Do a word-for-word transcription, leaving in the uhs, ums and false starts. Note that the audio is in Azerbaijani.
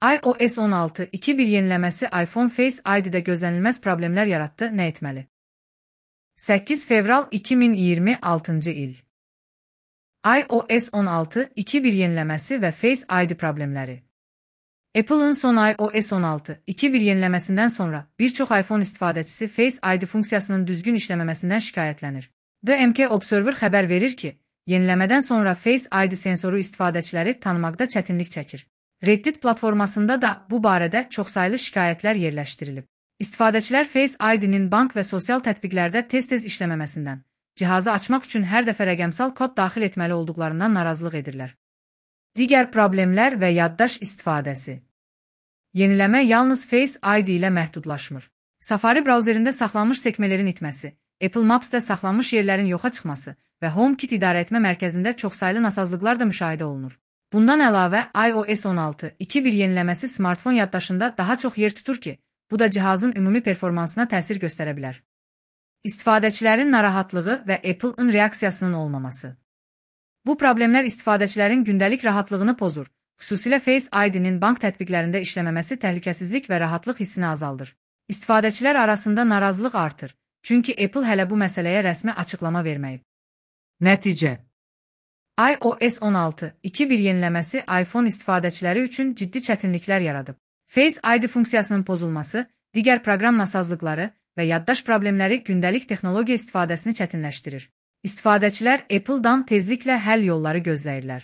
iOS on altı nöqtə iki bir yeniləməsi iPhone Face I D'də gözlənilməz problemlər yaratdı, nə etməli? səkkiz fevral iki min iyirmi altıncı il. iOS on altı nöqtə iki bir yeniləməsi və Face I D problemləri. Apple'ın son iOS on altı nöqtə iki bir yeniləməsindən sonra bir çox iPhone istifadəçisi Face I D funksiyasının düzgün işləməməsindən şikayətlənir. D M K Observer xəbər verir ki, yeniləmədən sonra Face I D sensoru istifadəçiləri tanımaqda çətinlik çəkir. Reddit platformasında da bu barədə çoxsaylı şikayətlər yerləşdirilib. İstifadəçilər Face I D'nin bank və sosial tətbiqlərdə tez-tez işləməməsindən, cihazı açmaq üçün hər dəfə rəqəmsal kod daxil etməli olduqlarından narazılıq edirlər. Digər problemlər və yaddaş istifadəsi. Yeniləmə yalnız Face I D ilə məhdudlaşmır. Safari brauzerində saxlanmış sekmələrin itməsi, Apple Maps-də saxlanmış yerlərin yoxa çıxması və HomeKit idarəetmə mərkəzində çoxsaylı nasazlıqlar da müşahidə olunur. Bundan əlavə, iOS on altı nöqtə iki bir yeniləməsi smartfon yaddaşında daha çox yer tutur ki, bu da cihazın ümumi performansına təsir göstərə bilər. İstifadəçilərin narahatlığı və Apple-ın reaksiyasının olmaması. Bu problemlər istifadəçilərin gündəlik rahatlığını pozur, xüsusilə Face I D'nin bank tətbiqlərində işləməməsi təhlükəsizlik və rahatlıq hissini azaldır. İstifadəçilər arasında narazılıq artır, çünki Apple hələ bu məsələyə rəsmi açıqlama verməyib. Nəticə: iOS on altı nöqtə iki bir yeniləməsi iPhone istifadəçiləri üçün ciddi çətinliklər yaradıb. Face I D funksiyasının pozulması, digər proqram nasazlıqları və yaddaş problemləri gündəlik texnologiya istifadəsini çətinləşdirir. İstifadəçilər Apple-dan tezliklə həll yolları gözləyirlər.